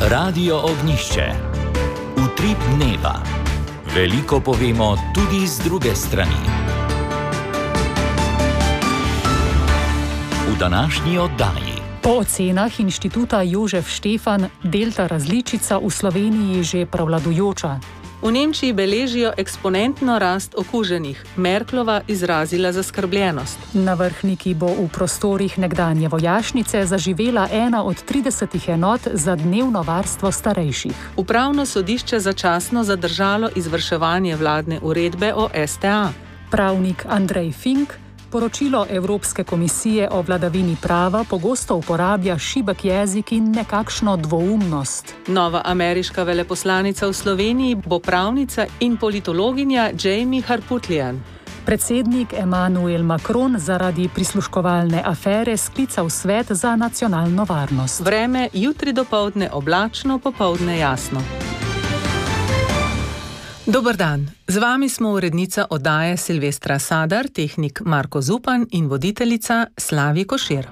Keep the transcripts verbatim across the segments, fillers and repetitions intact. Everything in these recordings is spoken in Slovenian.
Radio Ognjišče. Utrip dneva. Veliko povemo tudi z druge strani. V današnji oddaji. Po ocenah inštituta Jožef Stefan, delta različica v Sloveniji že prevladujoča. V Nemčiji beležijo eksponentno rast okuženih. Merklova izrazila zaskrbljenost. Na Vrhniki bo v prostorih nekdanje vojašnice zaživela ena od tridesetih enot za dnevno varstvo starejših. Upravno sodišče začasno zadržalo izvrševanje vladne uredbe o S T A. Pravnik Andrej Fink poročilo Evropske komisije o vladavini prava pogosto uporablja šibek jezik in nekakšno dvoumnost. Nova ameriška veleposlanica v Sloveniji bo pravnica in politologinja Jamie Harputlian. Predsednik Emmanuel Macron zaradi prisluškovalne afere sklical svet za nacionalno varnost. Vreme jutri dopoldne oblačno, popoldne jasno. Dober dan, z vami smo urednica oddaje Silvestra Sadar, tehnik Marko Zupan in voditeljica Slavi Košir.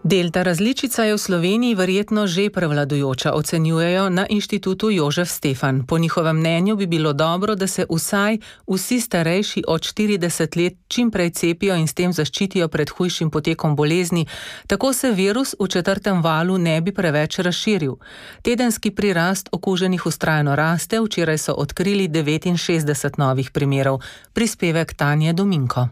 Delta različica je v Sloveniji verjetno že prevladujoča, ocenjujejo na inštitutu Jožef Stefan. Po njihovem mnenju bi bilo dobro, da se vsaj vsi starejši od štirideset let čim prej cepijo in s tem zaščitijo pred hujšim potekom bolezni, tako se virus v četrtem valu ne bi preveč razširil. Tedenski prirast okuženih vztrajno raste, včeraj so odkrili devetinšestdeset novih primerov. Prispevek Tanje Dominko.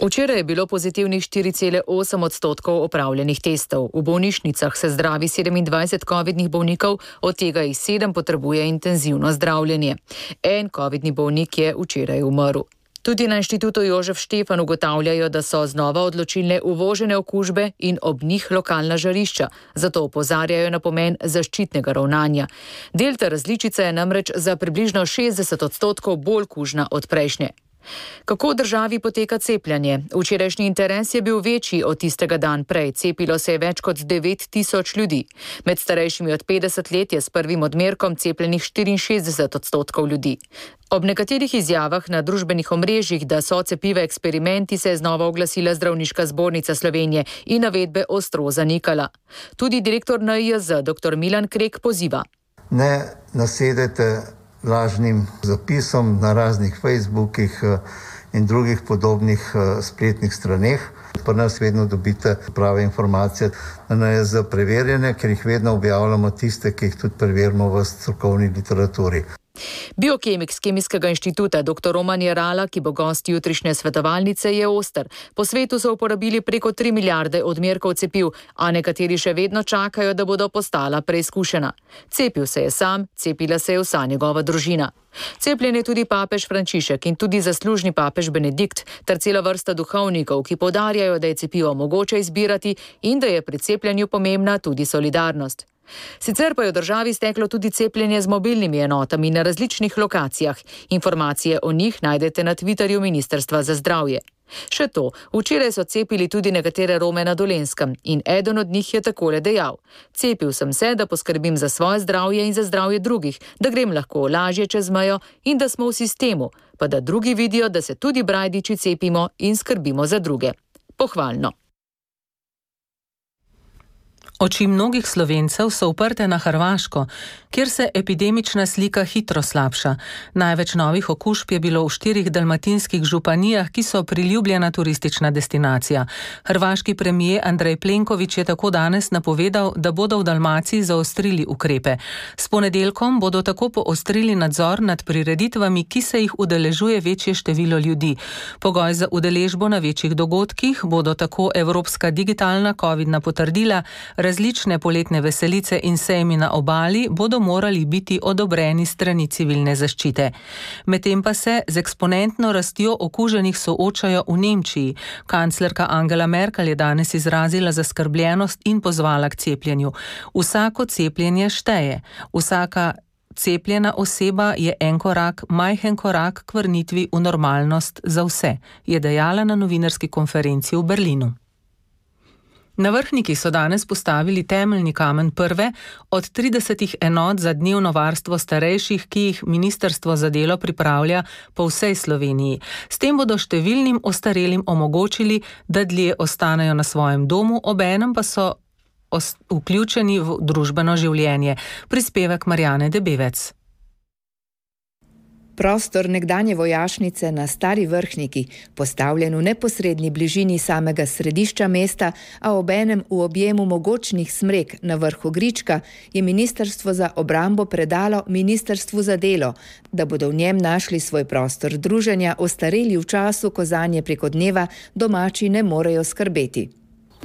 Včeraj je bilo pozitivnih štiri cele osem odstotkov opravljenih testov. V bolnišnicah se zdravi sedemindvajset covidnih bolnikov, od tega jih sedem potrebuje intenzivno zdravljenje. En covidni bolnik je včeraj umrl. Tudi na inštitutu Jožef Stefan ugotavljajo, da so znova odločilne uvožene okužbe in ob njih lokalna žarišča, zato opozarjajo na pomen zaščitnega ravnanja. Delta različica je namreč za približno šestdeset odstotkov bolj kužna od prejšnje. Kako v državi poteka cepljenje? Včerajšnji interes je bil večji od tistega dan prej. Cepilo se je več kot devet tisoč ljudi. Med starejšimi od petdeset let je s prvim odmerkom cepljenih štiriinšestdeset odstotkov ljudi. Ob nekaterih izjavah na družbenih omrežjih, da so cepive eksperimenti, se je znova oglasila Zdravniška zbornica Slovenije in navedbe ostro zanikala. Tudi direktor N I J Z, dr Milan Krek, poziva. Ne nasedete lažnim zapisom na raznih Facebookih in drugih podobnih spletnih straneh. Pri nas vedno dobite prave informacije, na N I J Z preverjene, ker jih vedno objavljamo tiste, ki jih tudi preverimo v strokovni literaturi. Biokemik z Kemijskega inštituta dr Roman Jerala, ki bo gost jutrišnje svetovalnice, je oster. Po svetu so uporabili preko tri milijarde odmerkov cepiv, a nekateri še vedno čakajo, da bodo postala preizkušena. Cepil se je sam, cepila se je vsa njegova družina. Cepljen je tudi papež Frančišek in tudi zaslužni papež Benedikt ter cela vrsta duhovnikov, ki poudarjajo, da je cepivo mogoče izbirati in da je pri cepljenju pomembna tudi solidarnost. Sicer pa je v državi steklo tudi cepljenje z mobilnimi enotami na različnih lokacijah. Informacije o njih najdete na Twitterju Ministrstva za zdravje. Še to, včeraj so cepili tudi nekatere Rome na Dolenjskem in eden od njih je takole dejal: Cepil sem se, da poskrbim za svoje zdravje in za zdravje drugih, da grem lahko lažje čez mejo in da smo v sistemu, pa da drugi vidijo, da se tudi brajdiči cepimo in skrbimo za druge. Pohvalno. Oči mnogih Slovencev so uprte na Hrvaško, kjer se epidemična slika hitro slabša. Največ novih okužb je bilo v štirih dalmatinskih županijah, ki so priljubljena turistična destinacija. Hrvaški premijer Andrej Plenković je tako danes napovedal, da bodo v Dalmaciji zaostrili ukrepe. S ponedeljkom bodo tako poostrili nadzor nad prireditvami, ki se jih udeležuje večje število ljudi. Pogoj za udeležbo na večjih dogodkih bodo tako evropska digitalna covidna potrdila, različne poletne veselice in sejmi na obali bodo morali biti odobreni strani civilne zaščite. Medtem pa se z eksponentno rastjo okuženih soočajo v Nemčiji. Kanclerka Angela Merkel je danes izrazila zaskrbljenost in pozvala k cepljenju. Vsako cepljenje šteje. Vsaka cepljena oseba je en korak, majhen korak k vrnitvi v normalnost za vse, je dejala na novinarski konferenci v Berlinu. Na Vrhniki so danes postavili temeljni kamen prve od tridesetih enot za dnevno varstvo starejših, ki jih Ministrstvo za delo pripravlja po vsej Sloveniji. S tem bodo številnim ostarelim omogočili, da dlje ostanejo na svojem domu, obenem pa so vključeni v družbeno življenje. Prispevek Marjane Debevec. Prostor nekdanje vojašnice na Stari Vrhniki, postavljen v neposredni bližini samega središča mesta, a obenem v objemu mogočnih smrek na vrhu Grička, je Ministrstvo za obrambo predalo Ministrstvu za delo, da bodo v njem našli svoj prostor druženja ostareli v času, ko zanje preko dneva domači ne morejo skrbeti.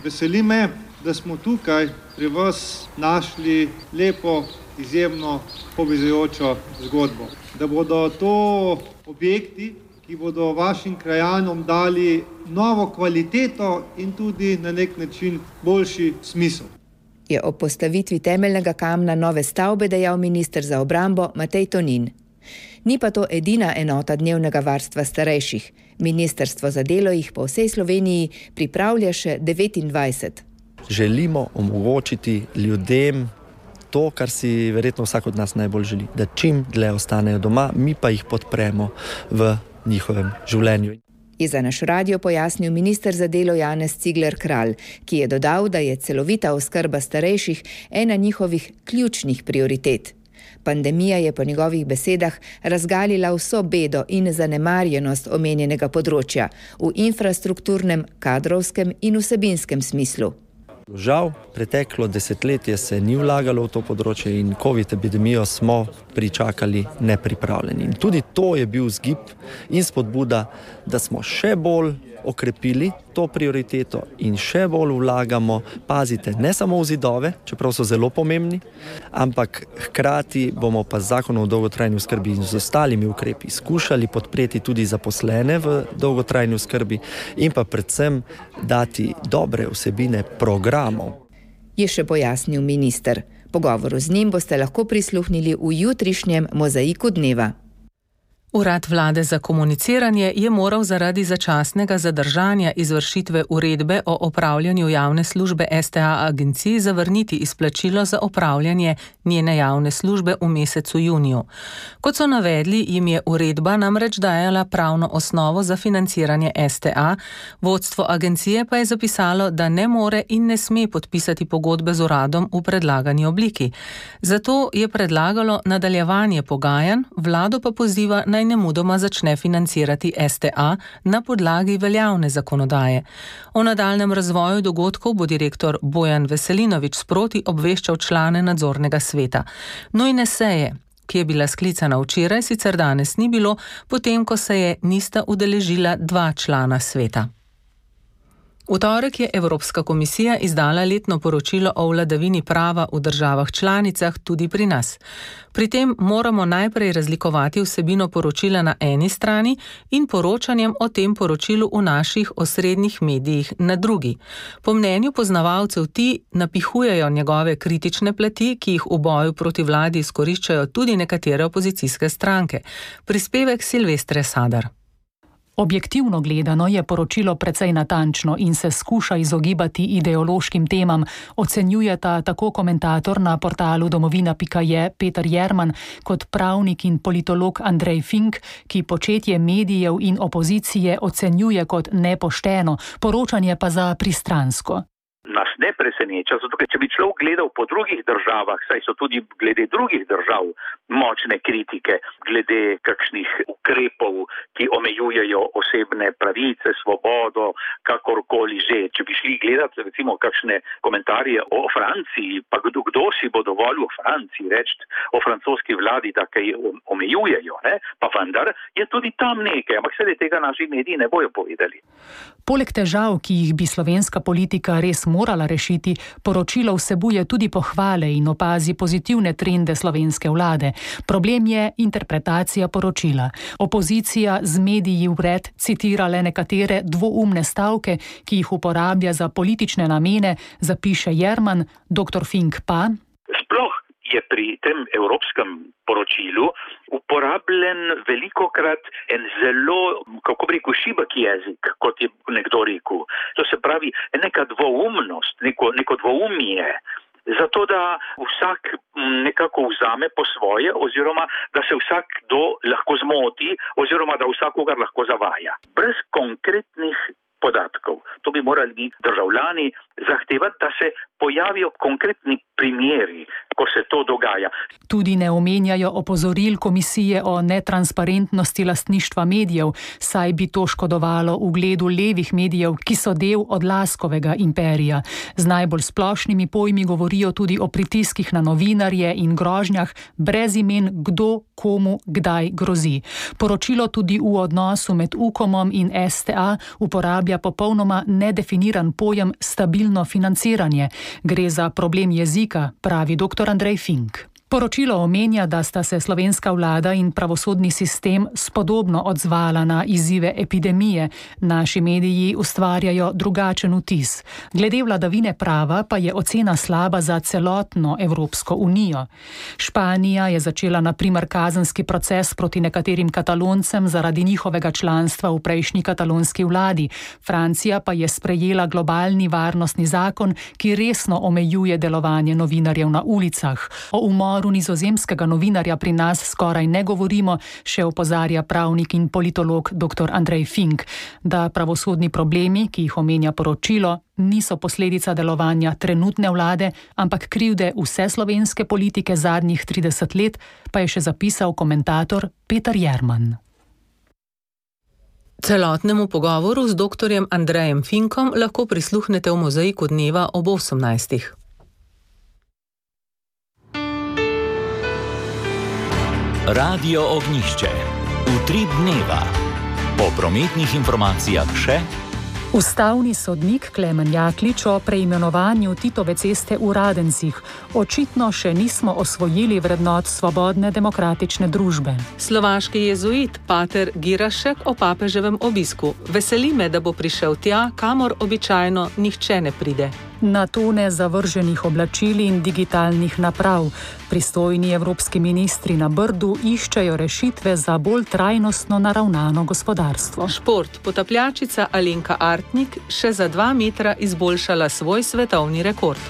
Veseli me, da smo tukaj pri vas našli lepo, izjemno povezujočo zgodbo. Da bodo to objekti, ki bodo vašim krajanom dali novo kvaliteto in tudi na nek način boljši smisel. Je ob postavitvi temeljnega kamna nove stavbe dejal minister za obrambo Matej Tonin. Ni pa to edina enota dnevnega varstva starejših. Ministrstvo za delo jih po vsej Sloveniji pripravlja še devetindvajset. Želimo omogočiti ljudem to, kar si verjetno vsak od nas najbolj želi, da čim dlje ostanejo doma, mi pa jih podpremo v njihovem življenju. Je za naš radio pojasnil minister za delo Janez Cigler Kralj, ki je dodal, da je celovita oskrba starejših ena njihovih ključnih prioritet. Pandemija je po njegovih besedah razgalila vso bedo in zanemarjenost omenjenega področja v infrastrukturnem, kadrovskem in vsebinskem smislu. Žal, preteklo desetletje se ni vlagalo v to področje in covid epidemijo smo pričakali nepripravljeni. In tudi to je bil vzgib in spodbuda, da smo še bolj okrepili to prioriteto in še bolj vlagamo, pazite, ne samo v zidove, čeprav so zelo pomembni, ampak hkrati bomo pa z zakonom o dolgotrajni oskrbi in z ostalimi ukrepi skušali podpreti tudi zaposlene v dolgotrajni oskrbi in pa predvsem dati dobre vsebine programov. Je še pojasnil minister. Pogovoru z njim boste lahko prisluhnili v jutrišnjem Mozaiku dneva. Urad vlade za komuniciranje je moral zaradi začasnega zadržanja izvršitve uredbe o opravljanju javne službe S T A agenciji zavrniti izplačilo za opravljanje njene javne službe v mesecu juniju. Kot so navedli, jim je uredba namreč dajala pravno osnovo za financiranje S T A, vodstvo agencije pa je zapisalo, da ne more in ne sme podpisati pogodbe z uradom v predlagani obliki. Zato je predlagalo nadaljevanje pogajanj, vlado pa poziva naj nemudoma začne financirati S T A na podlagi veljavne zakonodaje. O nadaljnjem razvoju dogodkov bo direktor Bojan Veselinovič sproti obveščal člane nadzornega sveta. Nujne seje, ki je bila sklicana včeraj, sicer danes ni bilo, potem ko se je nista udeležila dva člana sveta. V torek je Evropska komisija izdala letno poročilo o vladavini prava v državah članicah, tudi pri nas. Pri tem moramo najprej razlikovati vsebino poročila na eni strani in poročanjem o tem poročilu v naših osrednjih medijih na drugi. Po mnenju poznavalcev ti napihujejo njegove kritične plati, ki jih v boju proti vladi izkoriščajo tudi nekatere opozicijske stranke. Prispevek Silvestre Sadar. Objektivno gledano je poročilo precej natančno in se skuša izogibati ideološkim temam, ocenjujeta tako komentator na portalu domovina pika je Peter Jerman kot pravnik in politolog Andrej Fink, ki početje medijev in opozicije ocenjuje kot nepošteno, poročanje pa za pristransko. Nas ne preseneča, zato ker če bi človek gledal po drugih državah, saj so tudi glede drugih držav močne kritike, glede kakšnih ukrepov, ki omejujejo osebne pravice, svobodo, kakorkoli že. Če bi šli gledati recimo kakšne komentarje o Franciji, pa kdo, kdo si bo dovolil o Franciji reči, o francoski vladi, da kaj omejujejo, ne? Pa vendar je tudi tam nekaj, ampak sedaj tega naši mediji ne bojo povedali. Poleg težav, ki jih bi slovenska politika res morala rešiti, poročilo vsebuje tudi pohvale in opazi pozitivne trende slovenske vlade. Problem je interpretacija poročila. Opozicija z mediji vred citira le nekatere dvoumne stavke, ki jih uporablja za politične namene, zapiše Jerman, doktor Fink pa. Sploh je pri tem evropskem poročilu uporabljen velikokrat en zelo, kako bi rekel, šibek jezik, kot je nekdo rekel. To se pravi neka dvoumnost, neko, neko dvoumje, zato da vsak nekako vzame po svoje oziroma da se vsakdo lahko zmoti oziroma da vsakogar lahko zavaja. Brez konkretnih podatkov. To bi morali državljani zahtevati, da se pojavijo konkretni primeri, ko se to dogaja. Tudi ne omenjajo opozoril komisije o netransparentnosti lastništva medijev, saj bi to škodovalo ugledu levih medijev, ki so del Odlaskovega imperija. Z najbolj splošnimi pojmi govorijo tudi o pritiskih na novinarje in grožnjah, brez imen, kdo komu kdaj grozi. Poročilo tudi v odnosu med Ukomom in S T A uporablja popolnoma nedefiniran pojem stabilno financiranje. Gre za problem jezika, pravi doktor Andrej Fink. Poročilo omenja, da sta se slovenska vlada in pravosodni sistem spodobno odzvala na izzive epidemije. Naši mediji ustvarjajo drugačen vtis. Glede vladavine prava pa je ocena slaba za celotno Evropsko unijo. Španija je začela na primer kazenski proces proti nekaterim Kataloncem zaradi njihovega članstva v prejšnji katalonski vladi. Francija pa je sprejela globalni varnostni zakon, ki resno omejuje delovanje novinarjev na ulicah. O umoru nizozemskega novinarja pri nas skoraj ne govorimo, še opozarja pravnik in politolog doktor Andrej Fink, da pravosodni problemi, ki jih omenja poročilo, niso posledica delovanja trenutne vlade, ampak krivde vse slovenske politike zadnjih trideset let, pa je še zapisal komentator Peter Jerman. Celotnemu pogovoru z doktorjem Andrejem Finkom lahko prisluhnete v Mozaiku dneva ob osemnajstih. Radio Ognjišče. Utrip dneva. Po prometnih informacijah še. Ustavni sodnik Klemen Jaklič o preimenovanju Titove ceste v Radencih. Očitno še nismo osvojili vrednot svobodne demokratične družbe. Slovaški jezuit pater Girašek o papeževem obisku. Veseli me, da bo prišel tja, kamor običajno nihče ne pride. Na tone zavrženih oblačil in digitalnih naprav. Pristojni evropski ministri na Brdu iščejo rešitve za bolj trajnostno naravnano gospodarstvo. Šport. Potapljačica Alenka Artnik še za dva metra izboljšala svoj svetovni rekord.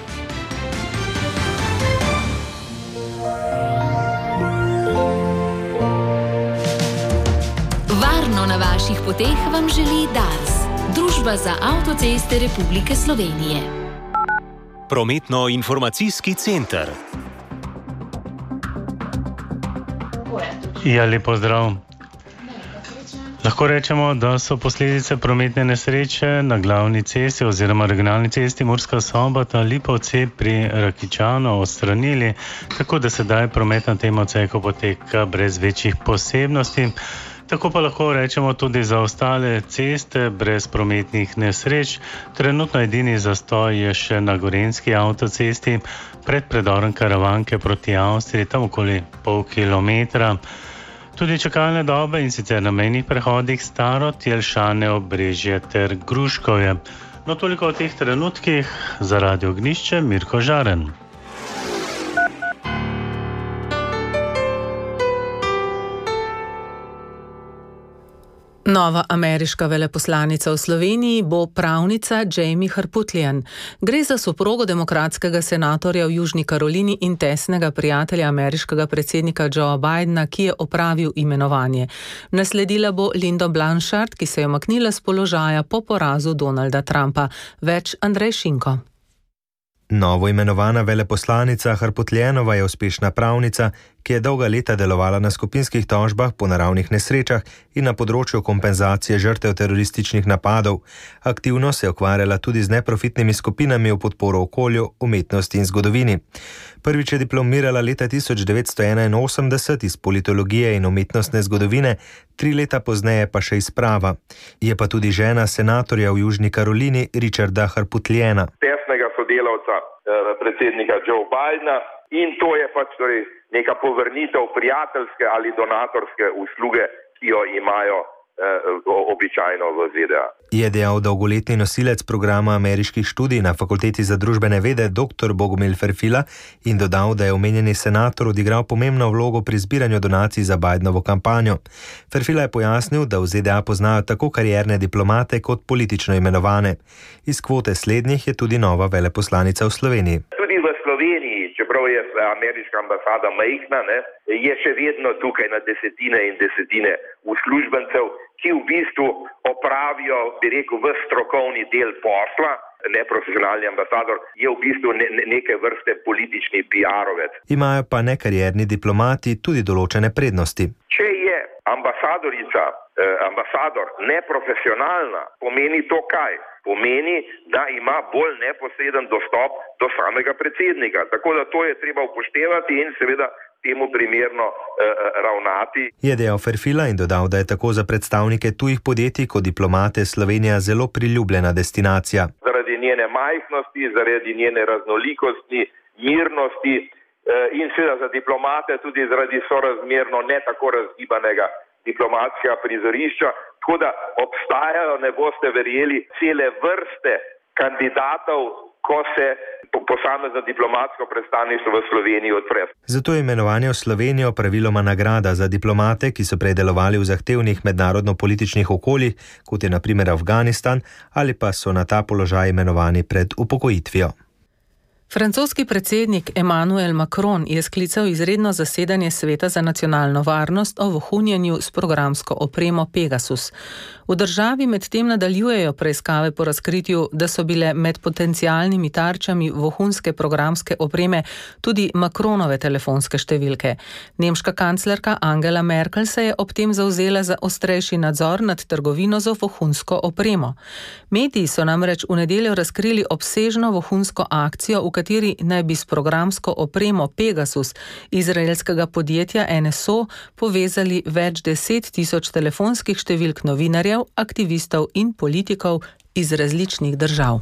Varno na vaših poteh vam želi Dars, Družba za avtoceste Republike Slovenije. Prometno-informacijski center. Ja, lep pozdrav. Lahko rečemo, da so posledice prometne nesreče na glavni cesti oziroma regionalni cesti Murska Sobota-Lipovci pri Rakičanu odstranili, tako da sedaj promet na tem odseku poteka brez večjih posebnosti. Tako pa lahko rečemo tudi za ostale ceste brez prometnih nesreč. Trenutno edini zastoj je še na Gorenjski avtocesti pred predorom Karavanke proti Avstriji, tam okoli pol kilometra. Tudi čakalne dobe in sicer na mejnih prehodih Starod, Jelšane, Obrežje ter Gruškovje. No, toliko o teh trenutkih. Za Radio Ognjišče, Mirko Žaren. Nova ameriška veleposlanica v Sloveniji bo pravnica Jamie Harputlian. Gre za soprogo demokratskega senatorja v Južni Karolini in tesnega prijatelja ameriškega predsednika Joea Bidena, ki je opravil imenovanje. Nasledila bo Lindo Blanchard, ki se je umaknila s položaja po porazu Donalda Trumpa. Več Andrej Šinko. Novo imenovana veleposlanica Harputlianova je uspešna pravnica, ki je dolga leta delovala na skupinskih tožbah po naravnih nesrečah in na področju kompenzacije žrtev terorističnih napadov. Aktivno se je ukvarjala tudi z neprofitnimi skupinami v podporo okolju, umetnosti in zgodovini. Prvič je diplomirala leta tisoč devetsto enainosemdeset iz politologije in umetnostne zgodovine, tri leta pozneje pa še iz prava. Je pa tudi žena senatorja v Južni Karolini Richarda Harputliana. Tesnega sodelavca eh, predsednika Joea Bidena in to je pač torej neka povrnitev prijateljske ali donatorske usluge, ki jo imajo običajno v Z D A. Je dejal dolgoletni nosilec programa ameriških študij na Fakulteti za družbene vede dr. Bogomil Ferfila in dodal, da je omenjeni senator odigral pomembno vlogo pri zbiranju donacij za Bidenovo kampanjo. Ferfila je pojasnil, da v Z D A poznajo tako karierne diplomate kot politično imenovane. Iz kvote slednjih je tudi nova veleposlanica v Sloveniji. Tudi v Sloveniji, čeprav je ameriška ambasada majhna, ne, je še vedno tukaj na desetine in desetine uslužbencev, ki v bistvu opravijo, bi rekel, v strokovni del posla. Neprofesionalni ambasador je v bistvu ne, ne, neke vrste politični P R-ovec. Imajo pa nekarierni diplomati tudi določene prednosti. Če je ambasadorica, eh, ambasador neprofesionalna, pomeni to kaj? Pomeni, da ima bolj neposreden dostop do samega predsednika. Tako da to je treba upoštevati in seveda temu primerno eh, ravnati. Je dejal Ferfila in dodal, da je tako za predstavnike tujih podjetij kot diplomate Slovenija zelo priljubljena destinacija. Zaradi njene majhnosti, zaradi njene raznolikosti, mirnosti eh, in seveda za diplomate tudi zaradi sorazmerno ne tako razgibanega diplomatskega prizorišča. Tako da obstajajo, ne boste verjeli, cele vrste kandidatov, ko se posamezno diplomatsko predstavništvo v Sloveniji odpre. Zato je imenovanje v Slovenijo praviloma nagrada za diplomate, ki so prej delovali v zahtevnih mednarodno-političnih okoljih, kot je na primer Afganistan, ali pa so na ta položaj imenovani pred upokojitvijo. Francoski predsednik Emmanuel Macron je sklical izredno zasedanje Sveta za nacionalno varnost o vohunjenju s programsko opremo Pegasus. V državi medtem nadaljujejo preiskave po razkritju, da so bile med potencialnimi tarčami vohunske programske opreme tudi Macronove telefonske številke. Nemška kanclerka Angela Merkel se je ob tem zavzela za ostrejši nadzor nad trgovino z vohunsko opremo. Mediji so namreč v nedeljo razkrili obsežno vohunsko akcijo, v kateri naj bi s programsko opremo Pegasus izraelskega podjetja N S O povezali več deset tisoč telefonskih številk novinarjev, aktivistov in politikov iz različnih držav.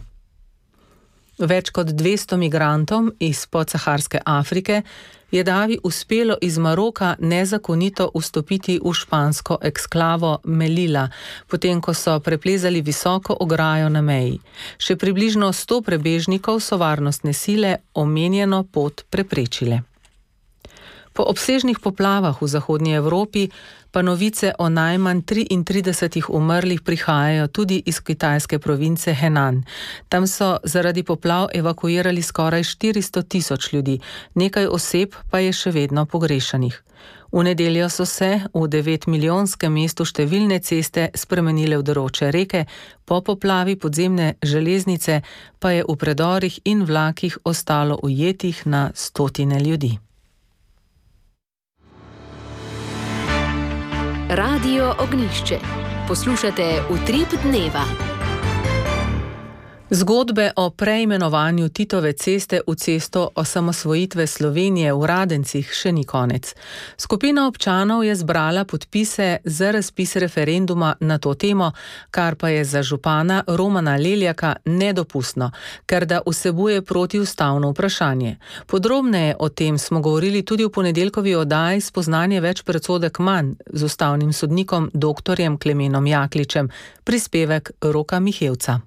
Več kot dvesto migrantom iz podsaharske Afrike je davi uspelo iz Maroka nezakonito vstopiti v špansko eksklavo Melilla, potem ko so preplezali visoko ograjo na meji. Še približno sto prebežnikov so varnostne sile omenjeno pot preprečile. Po obsežnih poplavah v zahodnji Evropi pa novice o najmanj triintridesetih umrlih prihajajo tudi iz kitajske province Henan. Tam so zaradi poplav evakuirali skoraj štiristo tisoč ljudi, nekaj oseb pa je še vedno pogrešanih. V nedeljo so se v devetmilijonskem mestu številne ceste spremenile v deroče reke, po poplavi podzemne železnice pa je v predorih in vlakih ostalo ujetih na stotine ljudi. Radio Ognjišče. Poslušate Utrip dneva. Zgodbe o preimenovanju Titove ceste v cesto osamosvojitve Slovenije v Radencih še ni konec. Skupina občanov je zbrala podpise za razpis referenduma na to temo, kar pa je za župana Romana Leljaka nedopustno, ker da vsebuje protiustavno vprašanje. Podrobneje o tem smo govorili tudi v ponedeljkovi oddaji Spoznanje več predsodek manj z ustavnim sodnikom doktorjem Klemenom Jakličem, prispevek Roka Mihevca.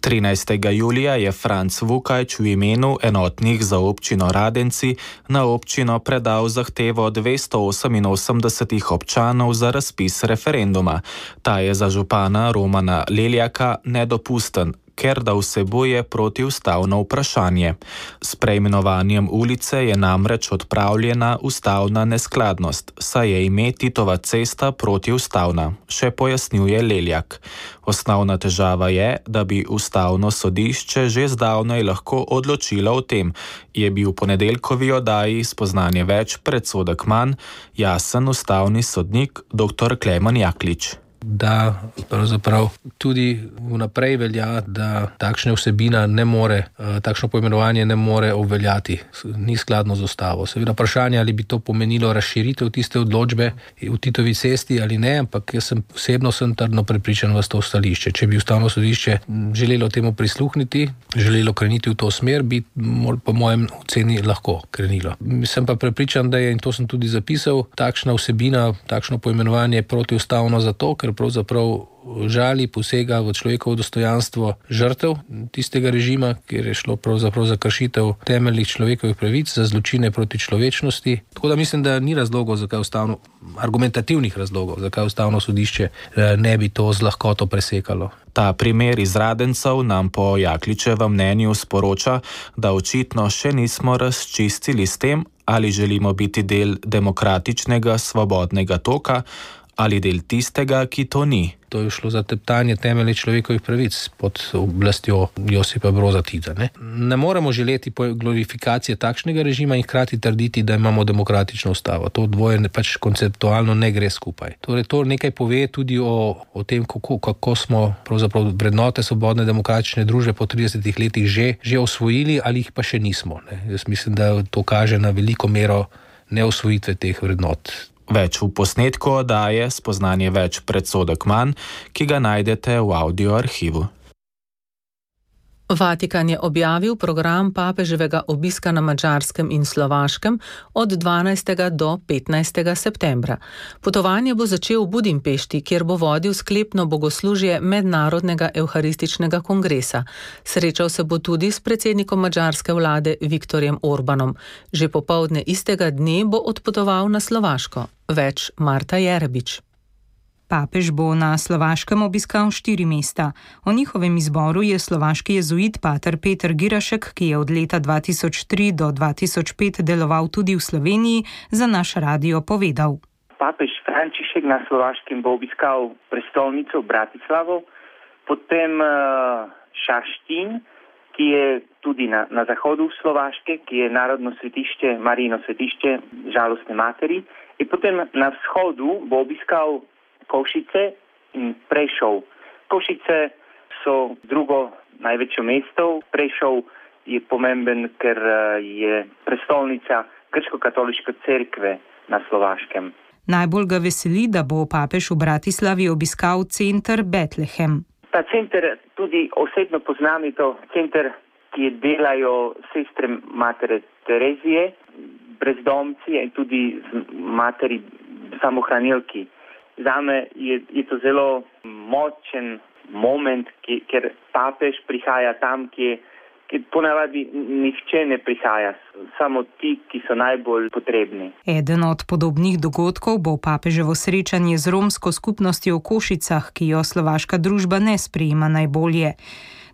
trinajstega julija je Franc Vukajč v imenu enotnih za občino Radenci na občino predal zahtevo dvesto oseminosemdesetih občanov za razpis referenduma. Ta je za župana Romana Leljaka nedopusten, ker da vsebuje protiustavno vprašanje. S preimenovanjem ulice je namreč odpravljena ustavna neskladnost, saj je ime Titova cesta protiustavna, še pojasnjuje Leljak. Osnovna težava je, da bi ustavno sodišče že zdavnaj lahko odločilo o tem, je bil v ponedeljkovi oddaji Spoznanje več predsodek manj jasen ustavni sodnik doktor Klemen Jaklič. da pravzaprav tudi vnaprej velja, da takšna vsebina ne more, takšno poimenovanje ne more obveljati, ni skladno z ustavo. Seveda vprašanje, ali bi to pomenilo razširitev tiste odločbe v Titovi cesti ali ne, ampak jaz sem osebno sem trdno prepričan v to stališče. Če bi Ustavno sodišče želelo temu prisluhniti, želelo kreniti v to smer, bi po mojem oceni lahko krenilo. Sem pa prepričan, da je, in to sem tudi zapisal, takšna vsebina, takšno poimenovanje protiustavno zato, ker pravzaprav žali, posega v človekovo dostojanstvo žrtev tistega režima, kjer je šlo pravzaprav za kršitev temeljnih človekovih pravic, za zločine proti človečnosti. Tako da mislim, da ni razlogov, zakaj ustavno, argumentativnih razlogov, zakaj Ustavno sodišče ne bi to z lahkoto presekalo. Ta primer iz Radencev nam po Jakličevem mnenju sporoča, da očitno še nismo razčistili s tem, ali želimo biti del demokratičnega, svobodnega toka ali del tistega, ki to ni. To je šlo za teptanje temeljnih človekovih pravic pod oblastjo Josipa Broza Tita. Ne? ne moremo želeti glorifikacije takšnega režima in hkrati trditi, da imamo demokratično ustavo. To dvoje pač konceptualno ne gre skupaj. Torej, to nekaj pove tudi o, o tem, kako, kako smo pravzaprav vrednote svobodne demokratične družbe po tridesetih letih že, že osvojili ali jih pa še nismo. Ne? Jaz mislim, da to kaže na veliko mero neosvojitve teh vrednot. Več v posnetku oddaje Spoznanje več, predsodek manj, ki ga najdete v audio arhivu. Vatikan je objavil program papeževega obiska na Madžarskem in Slovaškem od dvanajstega do petnajstega septembra. Potovanje bo začel v Budimpešti, kjer bo vodil sklepno bogoslužje Mednarodnega evharističnega kongresa. Srečal se bo tudi s predsednikom madžarske vlade Viktorjem Orbanom. Že popoldne istega dne bo odpotoval na Slovaško. Več Marta Jerebič. Papež bo na Slovaškem obiskal štiri mesta. O njihovem izboru je slovaški jezuit pater Peter Girašek, ki je od leta dva tisoč tri do dva tisoč pet deloval tudi v Sloveniji, za naš radio povedal. Papež Frančišek na Slovaškem bo obiskal prestolnico Bratislavo, potem uh, Šaštín, ki je tudi na, na zahodu Slovaške, ki je narodno svetišče, Marijino svetišče žalostne materi, in potem na vzhodu bo obiskal Košice in Prešov. Košice so drugo največje mesto. Prešov je pomemben, ker je prestolnica grško-katoliške cerkve na Slovaškem. Najbolj ga veseli, da bo papež v Bratislavi obiskal center Betlehem. Ta center tudi osebno poznam, je to center, ki delajo sestre matere Terezije, brezdomci in tudi materi samohranilki. Zame je, je to zelo močen moment, ki, ker papež prihaja tam, ki, ki ponavadi nihče ne prihaja, samo ti, ki so najbolj potrebni. Eden od podobnih dogodkov bo papeževo srečanje z romsko skupnostjo v Košicah, ki jo slovaška družba ne sprejema najbolje.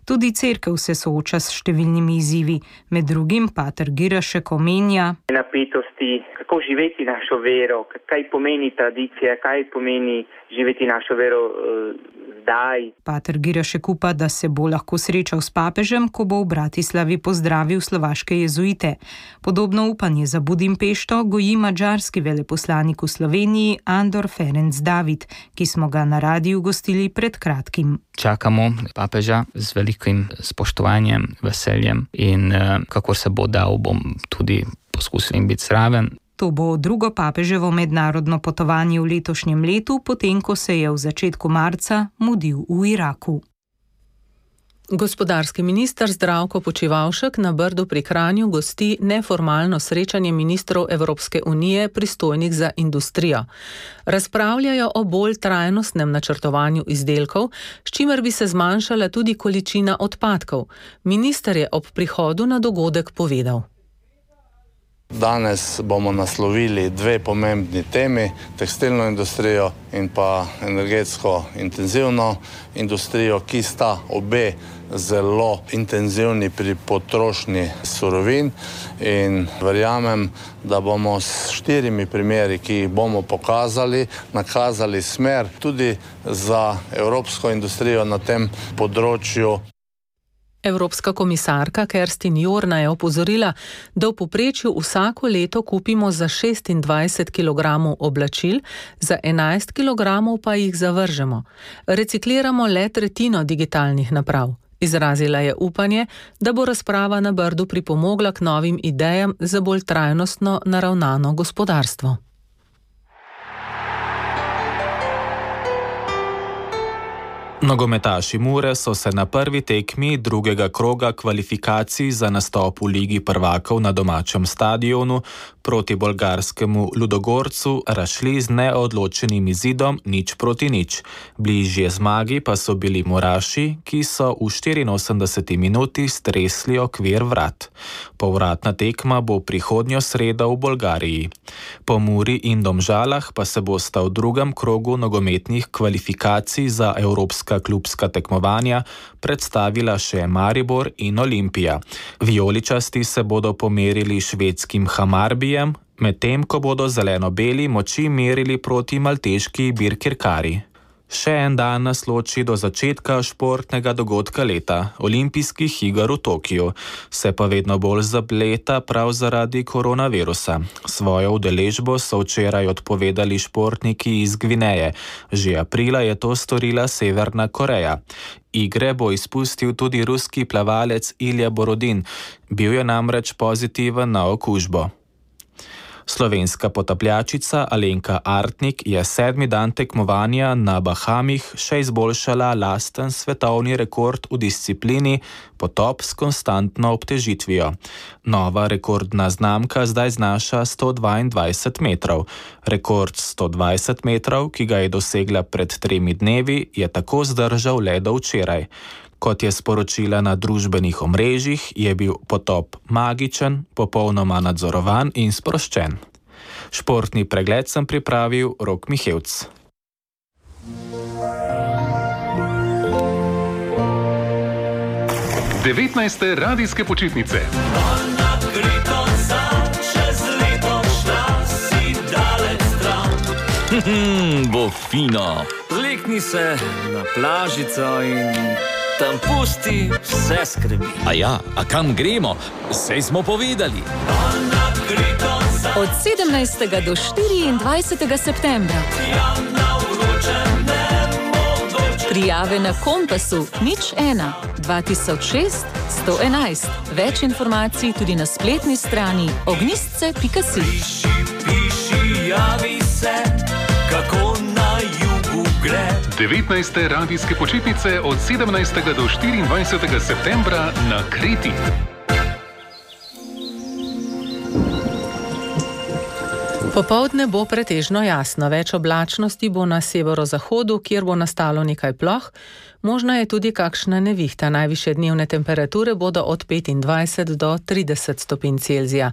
Tudi cerkev se sooča s številnimi izzivi, med drugim pater Girašek omenja napetosti, kako živeti našo vero, kaj pomeni tradicija, kaj pomeni živeti našo vero uh, zdaj. Pater Girašek upa, da se bo lahko srečal s papežem, ko bo v Bratislavi pozdravil slovaške jezuite. Podobno upanje za Budimpešto goji madžarski veleposlanik v Sloveniji Andor Ferenc David, ki smo ga na radiju gostili pred kratkim. Čakamo papeža z velikim spoštovanjem, veseljem in uh, kakor se bo dal, bom tudi poskusil biti zraven. To bo drugo papeževo mednarodno potovanje v letošnjem letu, potem ko se je v začetku marca mudil v Iraku. Gospodarski minister Zdravko Počivalšek na Brdu pri Kranju gosti neformalno srečanje ministrov Evropske unije pristojnih za industrijo. Razpravljajo o bolj trajnostnem načrtovanju izdelkov, s čimer bi se zmanjšala tudi količina odpadkov. Minister je ob prihodu na dogodek povedal. Danes bomo naslovili dve pomembni temi, tekstilno industrijo in pa energetsko intenzivno industrijo, ki sta obe zelo intenzivni pri potrošnji surovin, in verjamem, da bomo s štirimi primeri, ki jih bomo pokazali, nakazali smer tudi za evropsko industrijo na tem področju. Evropska komisarka Kerstin Jorna je opozorila, da v povprečju vsako leto kupimo za šestindvajset kilogramov oblačil, za enajst kilogramov pa jih zavržemo. Recikliramo le tretjino digitalnih naprav. Izrazila je upanje, da bo razprava na Brdu pripomogla k novim idejam za bolj trajnostno naravnano gospodarstvo. Nogometaši Mure so se na prvi tekmi drugega kroga kvalifikacij za nastop v Ligi prvakov na domačem stadionu proti bolgarskemu Ludogorcu razšli z neodločenim izidom nič proti nič. Bližje zmagi pa so bili Muraši, ki so v štiriinosemdeseti minuti stresli okvir vrat. Povratna tekma bo prihodnjo sredo v Bolgariji. Po Muri in Domžalah pa se bosta v drugem krogu nogometnih kvalifikacij za evropska klubska tekmovanja predstavila še Maribor in Olimpija. Vijoličasti se bodo pomerili švedskim Hamarbijem, medtem ko bodo zeleno-beli moči merili proti malteški Birkirkari. Še en dan nas loči do začetka športnega dogodka leta, olimpijskih iger v Tokiu, se pa vedno bolj zapleta prav zaradi koronavirusa. Svojo udeležbo so včeraj odpovedali športniki iz Gvineje, že aprila je to storila Severna Koreja. Igre bo izpustil tudi ruski plavalec Ilja Borodin, bil je namreč pozitiven na okužbo. Slovenska potapljačica Alenka Artnik je sedmi dan tekmovanja na Bahamih še izboljšala lasten svetovni rekord v disciplini potop s konstantno obtežitvijo. Nova rekordna znamka zdaj znaša sto dvaindvajset metrov. Rekord sto dvajset metrov, ki ga je dosegla pred tremi dnevi, je tako zdržal le do včeraj. Kot je sporočila na družbenih omrežjih, je bil potop magičen, popolnoma nadzorovan in sproščen. Športni pregled sem pripravil Rok Mihevc. devetnajste radijske počitnice. Bo fino. Lekni se na plažico in tam pusti vse skrbi. A ja, a kam gremo? Sej smo povedali. Od sedemnajstega do štiriindvajsetega septembra. Prijave na Kompasu nič ena dva tisoč šest sto enajst. Več informacij tudi na spletni strani ognistce pika si. Piši, piši, javi se, kako na jugu gre. devetnajste radijske počitnice od sedemnajstega do štiriindvajsetega septembra na Kreti. Popoldne bo pretežno jasno, več oblačnosti bo na severozahodu, kjer bo nastalo nekaj ploh, možna je tudi kakšna nevihta. Najvišje dnevne temperature bodo od petindvajset do trideset stopinj Celzija.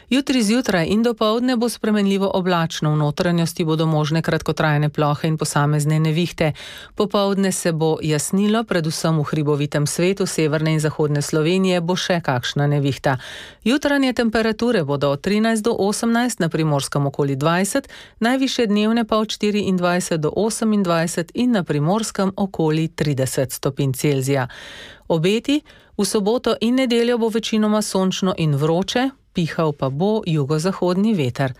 Jutri zjutraj in dopoldne bo spremenljivo oblačno, v notranjosti bodo možne kratkotrajne plohe in posamezne nevihte. Popoldne se bo jasnilo, predvsem v hribovitem svetu severne in zahodne Slovenije bo še kakšna nevihta. Jutranje temperature bodo od trinajst do osemnajst, na Primorskem okoli dvajset, najvišje dnevne pa od štiriindvajset do osemindvajset in na Primorskem okoli trideset stopinj Celzija. Obeti: v soboto in nedeljo bo večinoma sončno in vroče, pihal pa bo jugozahodni veter.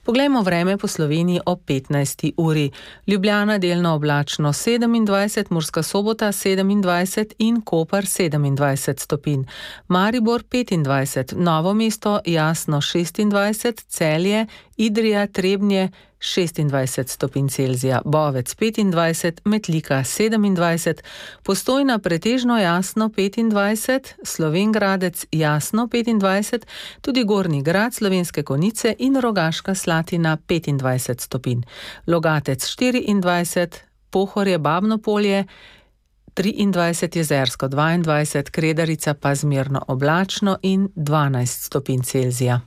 Poglejmo vreme po Sloveniji ob petnajsti uri. Ljubljana delno oblačno sedemindvajset, Murska Sobota sedemindvajset in Koper sedemindvajset stopinj. Maribor petindvajset, Novo mesto jasno šestindvajset, Celje, Idrija, Trebnje šestindvajset stopinj Celzija, Bovec petindvajset, Metlika sedemindvajset, Postojna pretežno jasno petindvajset, Slovenj Gradec jasno petindvajset, tudi Gornji Grad, Slovenske Konjice in Rogaška Slatina petindvajset stopinj. Logatec štiriindvajset, Pohorje, Babno Polje triindvajset, Jezersko dvaindvajset, Kredarica pa zmerno oblačno in dvanajst stopinj Celzija.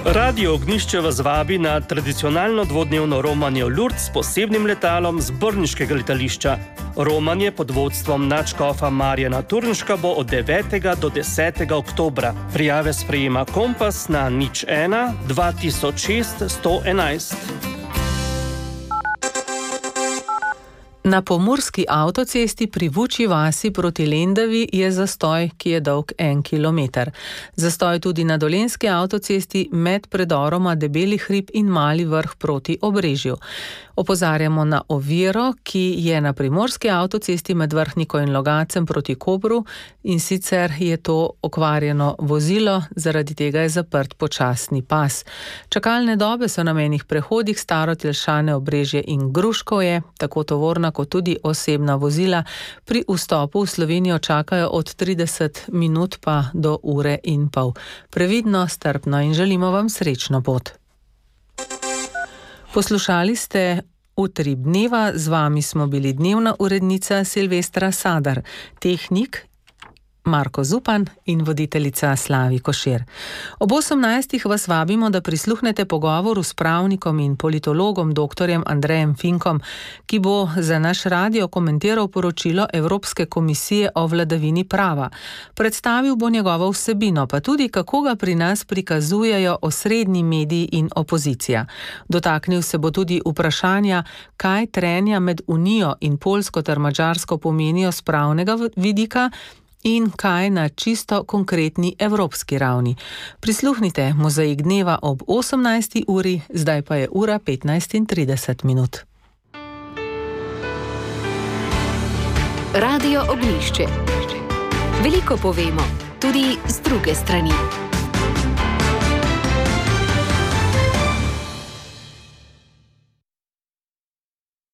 Radio Ognjišče vas vabi na tradicionalno dvodnevno romanje v Lourdes s posebnim letalom z brniškega letališča. Romanje pod vodstvom nadškofa Marjana Turnška bo od devetega do desetega oktobra. Prijave sprejema Kompas na nič ena dva tisoč šest sto enajst. Na pomurski avtocesti pri Vučji vasi proti Lendavi je zastoj, ki je dolg en kilometer. Zastoj tudi na dolenjski avtocesti med predoroma Debeli hrib in Mali vrh proti Obrežju. Opozarjamo na oviro, ki je na primorski avtocesti med Vrhniko in Logacem proti Kopru, in sicer je to okvarjeno vozilo, zaradi tega je zaprt počasni pas. Čakalne dobe so na mejnih prehodih Starotelšane, Obrežje in Gruškovje, tako tovorna kot tudi osebna vozila pri vstopu v Slovenijo čakajo od trideset minut pa do ure in pol. Previdno, strpno in želimo vam srečno pot. Poslušali ste Utrip dneva, z vami smo bili dnevna urednica Silvestra Sadar, tehnik Marko Zupan in voditeljica Slavi Košir. Ob osemnajstih vas vabimo, da prisluhnete pogovoru s pravnikom in politologom doktorjem Andrejem Finkom, ki bo za naš radio komentiral poročilo Evropske komisije o vladavini prava. Predstavil bo njegovo vsebino, pa tudi kako ga pri nas prikazujejo osrednji mediji in opozicija. Dotaknil se bo tudi vprašanja, kaj trenja med Unijo in Poljsko ter Madžarsko pomenijo s pravnega vidika in kaj na čisto konkretni evropski ravni. Prisluhnite Mozaik dneva ob osemnajsti uri, zdaj pa je ura petnajst in trideset minut. Radio Ognjišče. Veliko povemo, tudi z druge strani.